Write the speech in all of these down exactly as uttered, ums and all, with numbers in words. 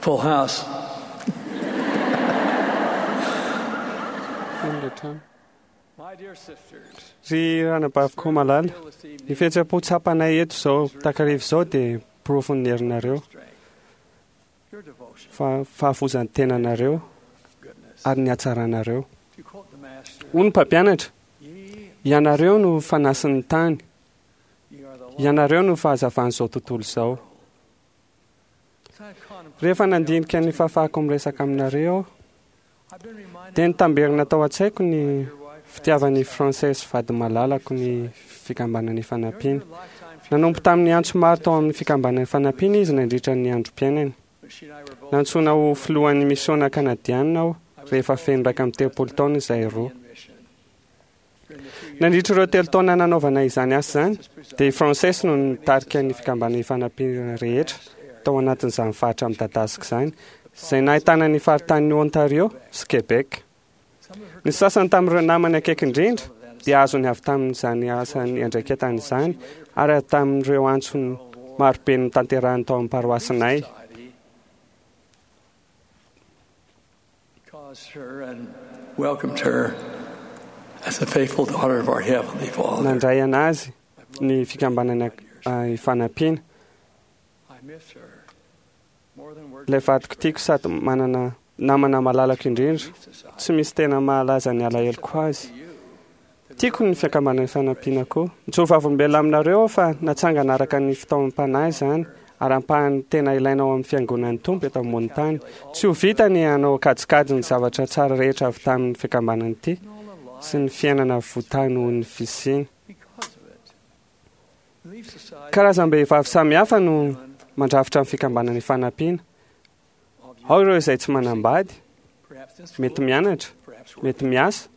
Full house. Feno ilay trano. My dear sisters, Ry ranabaviko malala, ny fihetseham-po tsapanay eto izao takariva izao dia porofon'ny herinareo, strength, your devotion, fa fahafozan'ny tenanareo goodness. ary ny hatsaranareo. To quote the Master, Hoy ny mpampianatra, ye, ianareo no fanasin'ny tany, ye are the light. ianareo no fahazavan'izao tontolo izao. As I've contemplated Rehefa nandinika ny fahafahako miresaka aminareo aho, I've been reminded dia nitamberina tao an-tsaiko ny of your wife, fitiavan'i Frances vady malalako ny fikambanan'ny fanampiana. During her lifetime, she Nanompo tamin'ny antso maro tao amin'ny fikambanan'ny fanampiana izy nandritra ny androm-piainany. but she and I were both Nantsoina ho filohan'ny misiona kanadianina aho rehefa feno iraika amby telopolo taona izahay roa. in mission. During the few years Nandritra ireo telo taona nanaovana izany asa izany, dia i Frances no nitarika ny fikambanan'ny fanampiana rehetra tao anatin'izany faritra midadasika izany, izay nahitana ny faritanin'i Ontario sy Québec. some of her Ny sasany tamin'ireo namany akaiky indrindra dia azony avy tamin'izany asany andraiketany izany ary avy tamin'ireo antsony marobe notanterahany tao amin'ny paroasinay. society caused her and welcomed her as a faithful daughter of our Heavenly Father. Nandray anazy ny fikambanana ah, ifanampiana. I miss her more than words. Ilay vadiko tiako sady manana namana malalako indrindra, Relief Society. tsy misy tena mahalaza ny alaheloko azy. To you, the Tiako ny fikambanana ifanampiana koa. Mijoro vavolombelona aminareo aho fa natsangana araka ny fitaomam-panahy izany ary ampahany tena ilaina ao amin'ny fiangonan'ny Tompo eto ambonin'ny tany. Tsy ho vita ny hanao kajikajy ny zavatra tsara rehetra avy tamin'ny fikambanana ity sy ny fiainana votahy noho ny fisiana. because of it. Relief Society Karazam-behivavy samihafa no mandrafitra ny fikambanana ifanampiana. of you, Ao ireo izay tsy manambady, perhaps in mety school, mianatra, perhaps working, mety miasa,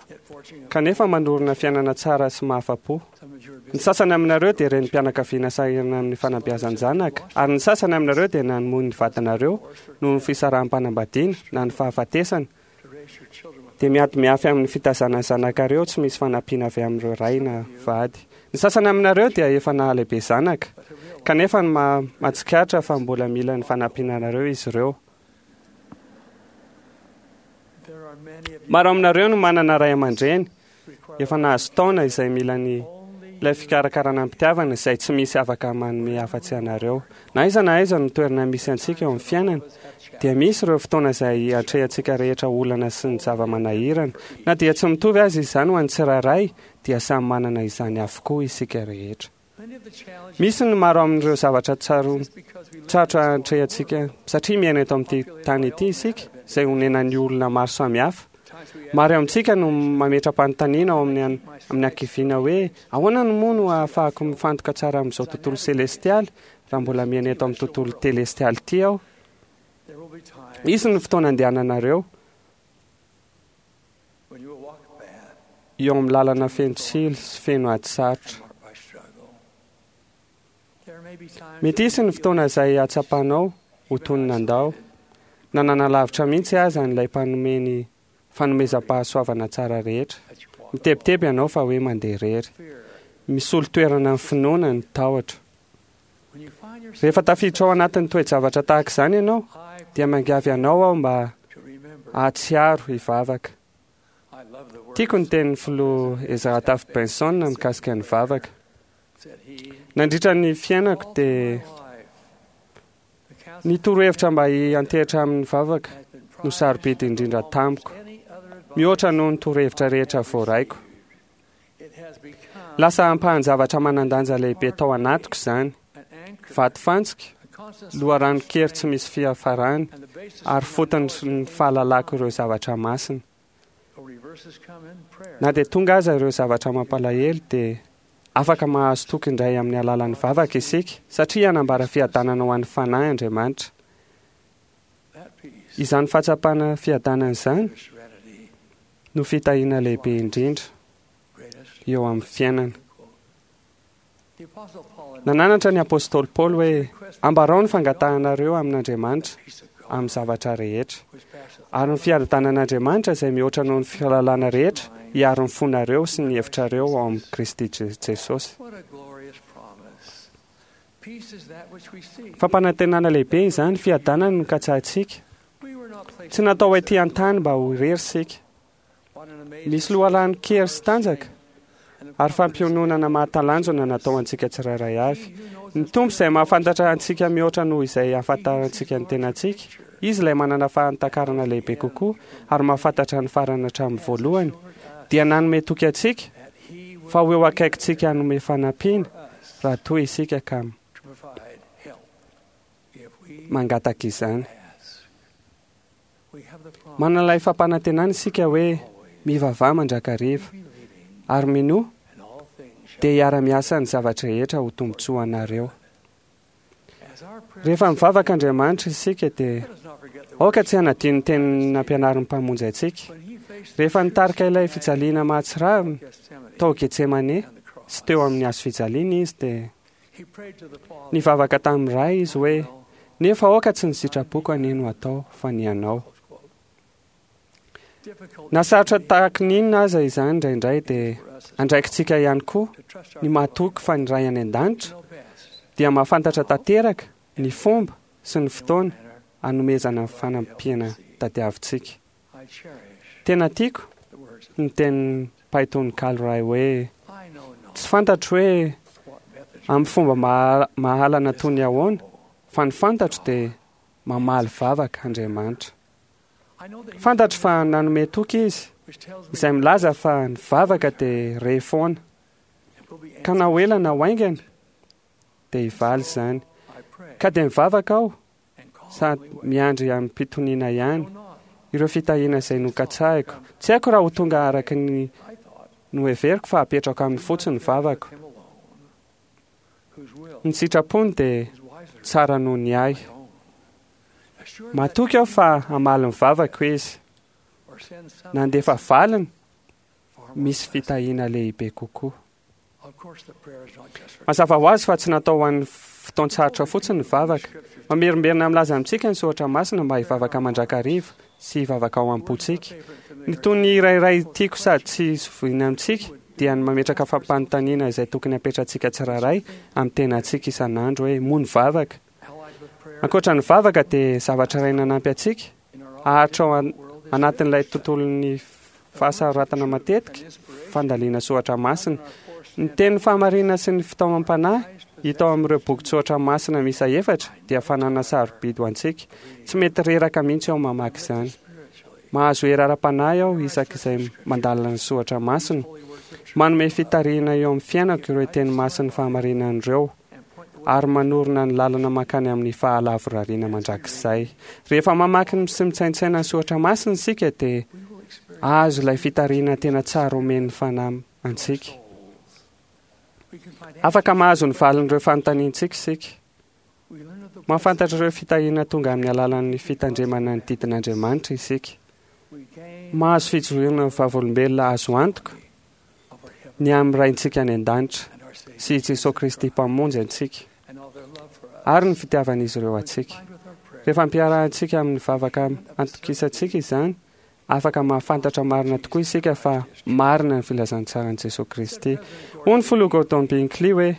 yet forging a- kanefa manorina fiainana tsara sy mahafa-po. Some of you are Ny busy sasany aminareo dia renim-pianakaviana sahirana amin'ny fanabeazan-janaka, ary ny sasany aminareo dia namoy ny vadinareo noho ny fisaraham-panambadiana na ny fahafatesana, to raise your children with dia miady miafy amin'ny fitazana ny zanakareo tsy misy fanampiana avy amin'ireo ray na vady. Ny sasany aminareo dia efa nahalehibe zanaka, but to realize kanefa ny ma- mahatsikaritra fa mbola mila ny fanampianareo izy ireo. there are many of you Maro aminareo no manana ray aman-dreny require efa nahazo taona izay mila ny only ilay fikarakarana am-pitiavana izay tsy misy afaka manome afa-tsy anareo. Na aiza na aiza no toerana misy antsika eo amin'ny fiainana, dia misy ireo fotoana izay atrehantsika rehetra olana sy ny zava-manahirana. Na dia tsy mitovy azy izany ho an'ny tsirairay, dia samy manana izany avokoa isika rehetra. many of the challenges Misy ny maro amin'ireo zavatra tsaro just because we live tsarotra in this atrehantsika satria miaina eto amin'ity tany ity isika izay onenan'ny olona maro samihafa. times we ask Maro amintsika no mametra-panontaniana ao amin'ny an- amin'ny ankiviana hoe ahoana no moa no ahafahako mifantoka tsara amin'izao tontolo selestialy raha mbola miaina eto amin'ny tontolo telestialy ity aho. there will be times Hisy ny fotoana andehananareo when you will walk a path eo amin'ny lalana feno tsilo sy feno ady sarotra. marked by struggle. There may be times Mety hisy ny fotoana izay hatsapanao ho toy ny nandao na nanalavitra mihitsy aza an'ilay mpanome ny fanomezam-pahasoavana tsara rehetra. that you walk Mitebiteby ianao fa hoe mandeha irery. fear. Misolo toerana ny finoana ny tahotra. When you find yourself Rehefa tafiditra ao anatin'ny toe-javatra tahaka izany ianao, I dia mangavy anao aho mba to remember hahatsiaro hivavaka. I love the words Tiako ny tenin'ny filoha Ezra Taft Benson mikasika ny vavaka. said he Nandritra ny fiainako all dia my life, the counsel ny torohevitra mba hiantehitra amin'ny vavaka has been no prized sarobidy indrindra tamiko, any other advice mihoatra noho ny torohevitra rehetra voaraiko. It has become Lasa ampahan-javatra manan-danja lehibe tao anatiko izany, an anchor, vatofantsika, a constant loharanon-kery tsy misy fiafarany, and the basis ary of my fotony knowledge ny fahalalako ireo zavatra masina. The reverses come in prayer. Na dia tonga aza ireo zavatra mampalahelo dia afaka mahazo toky indray amin'ny alalan'ny vavaka isika satria hanambara fiadanana ho an'ny fanahy Andriamanitra. That peace, Izany fahatsapana fiadanana izany the serenity, no fitahiana lehibe indrindra greatest. eo amin'ny fiainana. The Apostle Paul in Nananatra ny apostoly Paoly hoe ambarao ny fangatahanareo amin'Andriamanitra peace of God, amin'ny zavatra rehetra. which passeth Ary ny fiadanan'Andriamanitra izay mihoatra noho ny fahalalana rehetra hiaro ny fonareo sy ny hevitrareo ao amin'i Kristy Je- Jesosy. What a glorious promise. Fampanantenana lehibe izany, fiadanana no katsahintsika. Tsy natao ho ety an-tany mba ho irery isika. Misy loharanon-kery sy tanjaka ary fampiononana mahatalanjona natao antsika tsirairay avy. Ny Tompo izay mahafantatra antsika mihoatra noho izay ahafantarantsika ny tenantsika, Izy ilay manana fahatakarana lehibe kokoa ary mahafantatra ny farany hatramin'ny voalohany, dia nanome toky antsika fa ho eo akaikintsika hanome fanampiana raha toa isika ka mangataka izany. Manana ilay fampanantenana isika hoe mivavaha mandrakariva ary minoa dia hiara-miasa ny zavatra rehetra ho tombontsoa anareo. Rehefa mivavaka Andriamanitra isika dia aoka tsy hanadino ny teny nampianarin'ny Mpamonjy antsika. Rehefa nitarika ilay fijaliana mahatsiravina tao Getsemane sy teo amin'ny hazo fijaliana izy dia nivavaka tamin'ny Ray izy hoe nefa aoka tsy ny sitrapoko anie no atao fa ny anao. Na sarotra tahaka ny inona aza izany indraindray dia andraikitsika ihany koa ny mahatoky fa ny Ray any an-danitra dia mahafantatra tanteraka ny fomba sy ny fotoana hanomezana ny fanampiana tadiavintsika. Tena tiako ny tenin'ny mpahay tononkalo iray hoe tsy fantatro hoe amin'ny fomba mahalana toy ny ahoana fa ny fantatro dia mamaly vavaka Andriamanitra. Fantatro fa nanome toky izy izay milaza fa ny vavaka dia re foana ka na ho ela na ho haingana dia hivaly izany. Ka dia mivavaka aho sady miandry amim-pitoniana ihany ireo fitahiana izay nokatsahiko. Tsy haiko raha ho tonga araka ny noheveriko fa apetrako amin'ny fotsiny ny vavako. Ny sitrapony dia tsara noho ny ahy. Matoky aho fa hamaly ny vavako izy. Nandefa valiny misy fitahiana lehibe kokoa. Mazava ho azy fa tsy natao ho an'ny fotoan-tsarotra fotsiny ny vavaka. Mamerimberina milaza amintsika ny soratra masina mba hivavaka mandrakariva sy hivavaka ao am-pontsika. Ny toy ny iray iray tiako sady tsy zoviana amintsika dia ny mametraka fampanontaniana izay tokony hapetratsika tsirairay amin'ny tenantsika isan'andro hoe moa ny vavaka. Ankoatra ny vavaka dia zavatra iray nanampy antsika haharitra ao anatin'ilay tontolon'ny fahasaratana matetika fandaliana soratra masina. Ny teny fahamarinana sy ny fitaomam-panahy hita ao amin'ireo bokin-tsoratra masina miisa efatra dia fananana sarobidy ho antsika. Tsy mety reraka mihitsy aho mamaky izany. Mahazo hery ara-panahy aho isak'izay mandalina ny soratra masina. Manome fitarihana eo amin'ny fiainako ireo teny masin'ny fahamarinana ireo ary manorina ny lalana mankany amin'ny fahalavorariana mandrakizay. Rehefa mamaky sy mitsaintsaina ny soratra masina isika dia azo ilay fitarihana tena tsara omen'ny fanahy antsika. Afaka mahazo ny valin'ireo fanontaniantsika isika. Mahafantatra ireo fitahiana tonga amin'ny alalan'ny fitandremana ny didin'Andriamanitra isika. Mahazo fijoroana vavolombelona azo antoka ny amin'ny Raintsika any an-danitra sy i Jesoa Kristy Mpamonjy antsika ary ny fitiavan'izy ireo antsika. Rehefa ampiarahantsika amin'ny vavaka antokisantsika izany, afaka mahafantatra marina tokoa isika fa marina ny filazantsaran'i Jesoa Kristy. Hoy ny filoha Gordon Hinckley hoe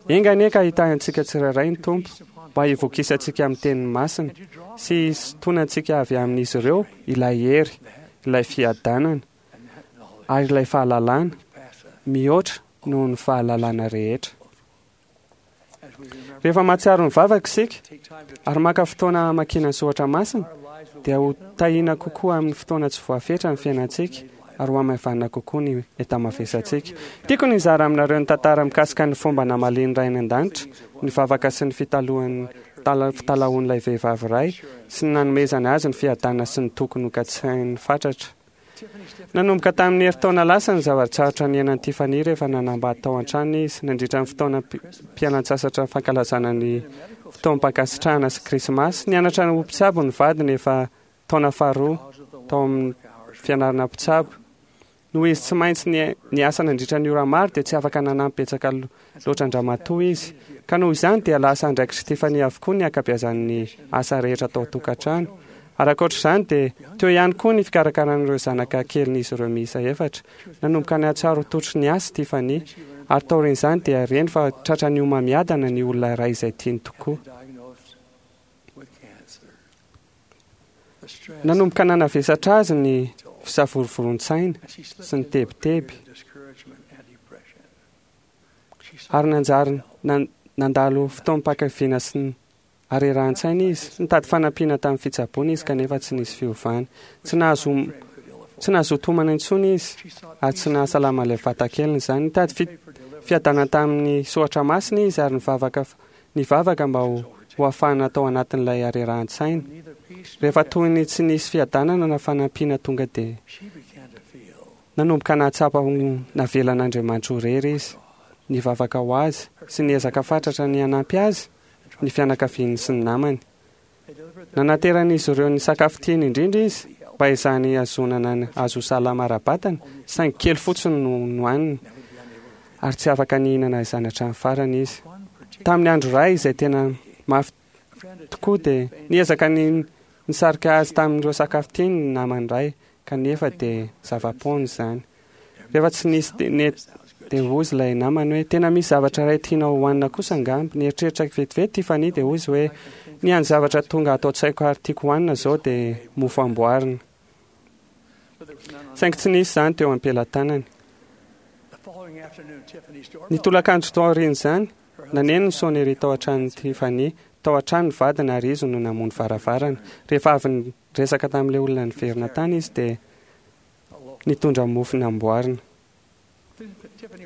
enga anie ka hitahy antsika tsirairay ny Tompo mba hivokisantsika amin'ny teniny masina sy hisintonantsika avy amin'izy ireo ilay hery, ilay fiadanana ary ilay fahalalana mihoatra noho ny fahalalana rehetra. Rehefa mahatsiaro ny vavaka isika ary maka fotoana hamakiana ny soratra masina dia ho tahiana kokoa amin'ny fotoana tsy voafetra ny fiainantsika ary ho hamaivanina kokoa ny enta-mavesantsika. Tiako ny hizara aminareo ny tantara mikasika ny fomba namalian'ny Ray any an-danitra ny vavaka sy ny fitalohan'ny fitalahoan'ilay vehivavy iray sy ny nanomezany azy ny fiadanana sy ny toky nokatsain'ny fatratra. Nanomboka tamin'ny herintaona lasa ny zava-tsarotra niainan'i Tiffany rehefa nanambady tao an-trano izy nandritra ny fotoana mpialan-tsasatra fankalazana ny fotoam-pankasitrahana sy Krismasy. Nianatra ho mpitsabo ny vadiny efa taona faharoa tao amin'ny fianarana mpitsabo. Noho izy tsy maintsy niasa nandritra ny ora maro dia tsy afaka nanampy betsaka loatra an-dramatoa izy. Ka noho izany dia lasa andraikitr'i Tiffany avokoa ny ankabeazan'ny asa rehetra tao an-tokantrano. Ary ankoatra izany dia teo ihany koa ny fikarakaran'ireo zanaka kelin'izy ireo miisa efatra. Nanomboka nihatsiaro totry ny asa Tiffany Ary taorian'izany dia reny fa tratra ny homamiadana ny olona iray izay tiany tokoa. Nanomboka nanavesatra azy ny fisavorovoroan-tsaina sy ny tebiteby, ary nanjary nandalo fotoam-pahakiviana sy ny harerahan-tsaina izy. Nitady fanampiana tamin'ny fitsaboana izy kanefa tsy nisy fiovana. Tsy nahazo tsy nahazo tomana intsony izy ary tsy nahasalama ilay vatakeliny izany. Nitady fiadanana tamin'ny soratra masina izy ary nivavaka nivavaka mba ho ho ahafahana tao anatin'ilay harerahan-tsaina. Rehefa toy ny tsy nisy fiadanana na fanampiana tonga dia nanomboka nahatsapa ho navelan'Andriamanitra ho irery izy. Nivavaka ho azy sy niezaka fatratra ny hanampy azy ny fianakaviany sy ny namany. Nanateran'izy ireo ny sakafo tiany indrindra izy mba izany hazonana azo salama ara-batana, saingy kely fotsiny no nohaniny ary tsy afaka nihinana izany hatramin'ny farany izy. Tamin'ny andro iray izay tena mafy tokoa dia niezaka ny nisarika azy tamin'ireo sakafo tiany ny namany iray, kanefa dia zava-poana izany. Rehefa tsy nisy dia hoy ilay namany hoe tena misy zavatra iray tianao hohanina kosa angamba. Nieritreritra vetivety Tiffany dia hoy izy hoe ny hany zavatra tonga ato an-tsaiko ary tiako hohanina izao dia mofo amboarina. Saingy tsy nisy izany teo am-pelatanany. Ny tolakandro tao aorian'izany, naneno ny sonnerie tao an-tranon'i Tiffany. Tao an-trano ny vadiny ary izy no namono varavarana. Rehefa avy niresaka tamin'ilay olona niverina tany izy dia nitondra mofo namboarina.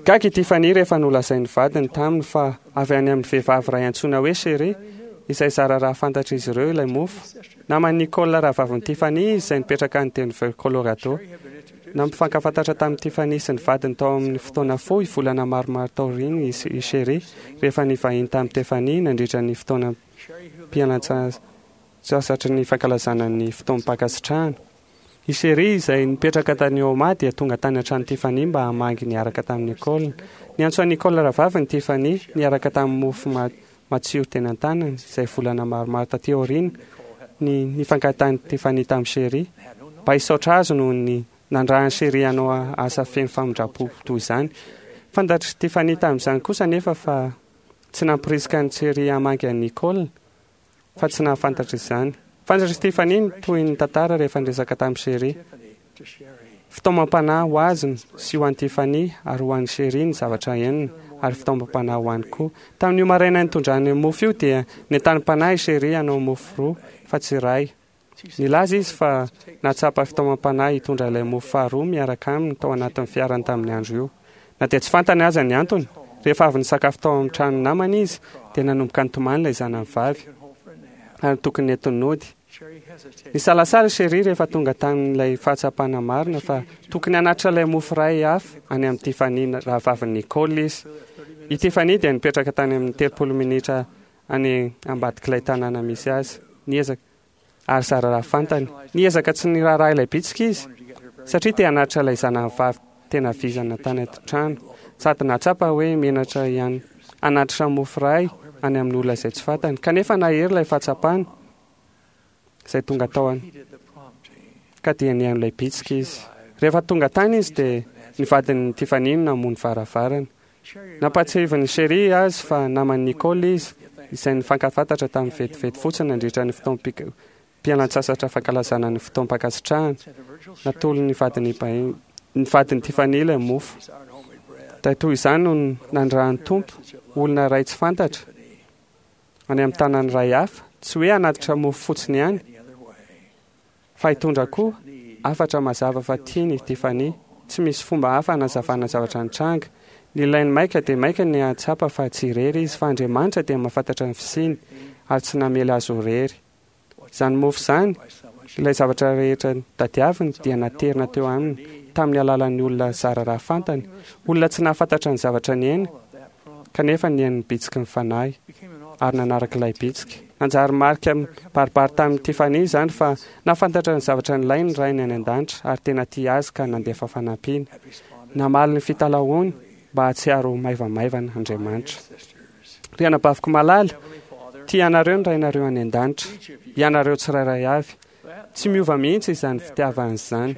Gaga i Tiffany rehefa nolazain'ny vadiny taminy fa avy any amin'ny vehivavy iray antsoina hoe Sherry, izay zara raha fantatr'izy ireo ilay mofo. Naman'i Nicole rahavavin'i Tiffany izy izay nipetraka any Denver, Colorado. Nampifankafantatra tamin'i Tiffany sy ny vadiny tao amin'ny fotoana fohy volana maromaro taoriana i Sherry rehefa nivahiny tamin'i Tiffany nandritra ny fotoana mpialantsasatry ny fankalazana ny fotoam-pankasitrahana. I Sherry izay nipetraka tany Omaha dia tonga tany an-trano Tiffany mba hamangy niaraka tamin'i Nicole. Niantso an'i Nicole rahavaviny Tiffany niaraka tamin'ny mofo matsiro teny an-tanany izay volana maromaro taty aoriana ny nifankahitan'i Tiffany tamin'i Sherry mba hisaotra azy noho ny nandrahan'i Sherry hanao asa feno famindram-po toy izany. Fantatr'i Tiffany tamin'izany kosa nefa fa tsy nampirisika an'i Sherry hamangy an'i Nicole fa tsy nahafantatra izany. Fantatr'i Tiffany ny toy ny tantara rehefa niresaka tamin'i Sherry. Fitaomam-panahy ho azy sy ho an'i Tiffany ary ho an'i Sherry ny zavatra henony ary fitaomam-panahy ho any koa. Tamin'io maraina nitondrany mofo io dia nentanim-panahy i Sherry hanao mofo roa fa tsy iray. Nilaza izy fa nahatsapa fitaomam-panahy hitondra ilay mofo faharoa miaraka aminy tao anatin'ny fiarany tamin'ny andro io. Na dia tsy fantany aza ny antony, rehefa avy nisakafo tao amin'ny trano namany izy dia nanomboka nitomany ilay zanany vavy ary tokony nentiny nody. Nisalasala Sherry rehefa tonga tamin'ilay fahatsapana marina fa tokony hanatitra ilay mofo iray hafa any amin'i Tiffany rahavavin'i Nicole izy. I Tiffany dia nipetraka tany amin'ny telopolo minitra any ambadik'ilay tanàna misy azy. Niezaka ary zara raha fantany. Niezaka tsy niraharaha ilay bitsika izy satria te hanatitra ilay zanany vavy tena vizana tany an-trano. Sady nahatsapa hoe menatra ihany hanatitra mofo iray any amin'ny olona izay tsy fantany. Kanefa nahery ilay fahatsapana izay tonga tao any ka dia nihaino ilay bitsika izy. Rehefa tonga tany izy dia ny vadin'i Tiffany no namono varavarana. Nampahatsiahivin'i Sherry azy fa naman'i Nicole izy izay nifankafantatra tamin'ny vetivety fotsiny nandritra ny fotoam-pialantsasatra fankalazana ny fotoam-pankasitrahana. Natolony vadin'i ny vadin'i Tiffany ilay mofo. Dia toy izany no nandrahan'ny Tompo olona iray tsy fantatra any amin'ny tanàna iray hafa, tsy hoe hanatitra mofo fotsiny ihany fa hitondra koa hafatra mazava fa tiany i Tiffany. Tsy misy fomba hafa hanazavana zavatra nitranga. Ny ilainy maika dia maika ny hahatsapa fa tsy irery izy, fa Andriamanitra dia mahafantatra ny fisiany ary tsy namela azy ho irery. Izany mofo izany, ilay zavatra rehetra tadiaviny dia naterina teo aminy tamin'ny alalan'ny olona zara raha fantany, olona tsy nahafantatra ny zavatra niaina, kanefa nihaino ny bitsiky ny fanahy ary nanaraka ilay bitsika. Nanjary marika baribary tamin'i Tiffany izany fa nahafantatra ny zavatra nilainy ny rainy any an-danitra ary tena tia azy ka nandefa fanampiana. Namaly ny fitalahoany mba hahatsiaro ho maivamaivana Andriamanitra. Ry anabaviko malala, tia anareo ny rainareo any an-danitra, ianareo tsirairay avy. Tsy miova mihitsy izany fitiavana izany.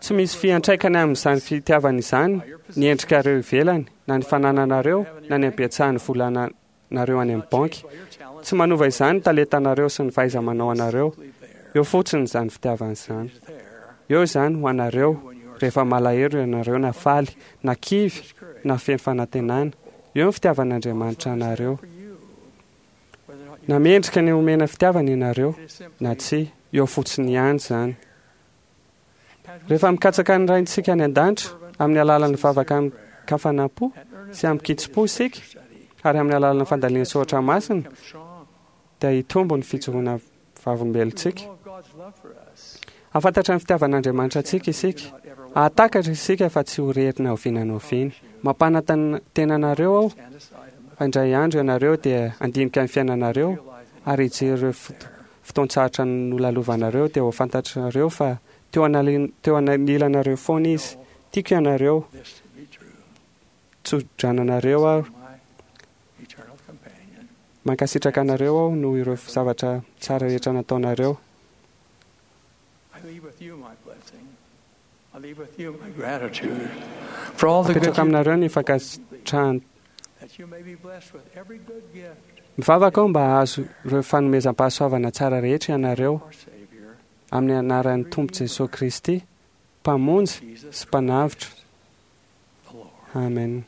Tsy misy fiantraikany amin'izany fitiavana izany ny endrikareo ivelany, na ny fanananareo, na ny habetsahan'ny volanareo any amin'ny banky. Tsy manova izany ny talentanareo sy ny fahaiza-manao anareo. Eo fotsiny izany fitiavana izany. Eo izany ho anareo rehefa malahelo ianareo, na faly, na kivy, na feno fanantenana. Eo ny fitiavan'Andriamanitra anareo. Na mendrika ny omena fitiavana ianareo na tsia, eo fotsiny ihany izany. Rehefa mikatsaka ny Raintsika any an-danitra amin'ny alalan'ny vavaka amin-kafanam-po sy amin-kitsim-po isika, ary amin'ny alalan'ny fandalinana soratra masina, dia hitombo ny fijoroana vavolombelontsika. Hahafantatra ny fitiavan'Andriamanitra antsika isika. Hahatakatra isika fa tsy ho irery na oviana na oviana. Mampanantena anareo aho fa indray andro ianareo dia handinika ny fiainanareo ary hijery ireo fotoan-tsarotra nolalovanareo, dia ho fantatrareo fa teo anilanareo foana izy. Tiako ianareo, tso-drananareo aho, mankasitraka anareo aho noho ireo zavatra tsara rehetra nataonareo. Apetrako aminareo ny fankasitrahana. Mivavaka aho mba hahazo ireo fanomezam-pahasoavana tsara rehetra ianareo amin'ny anaran'ny Tompo Jesoa Kristy, Mpamonjy sy Mpanavotra. Amen.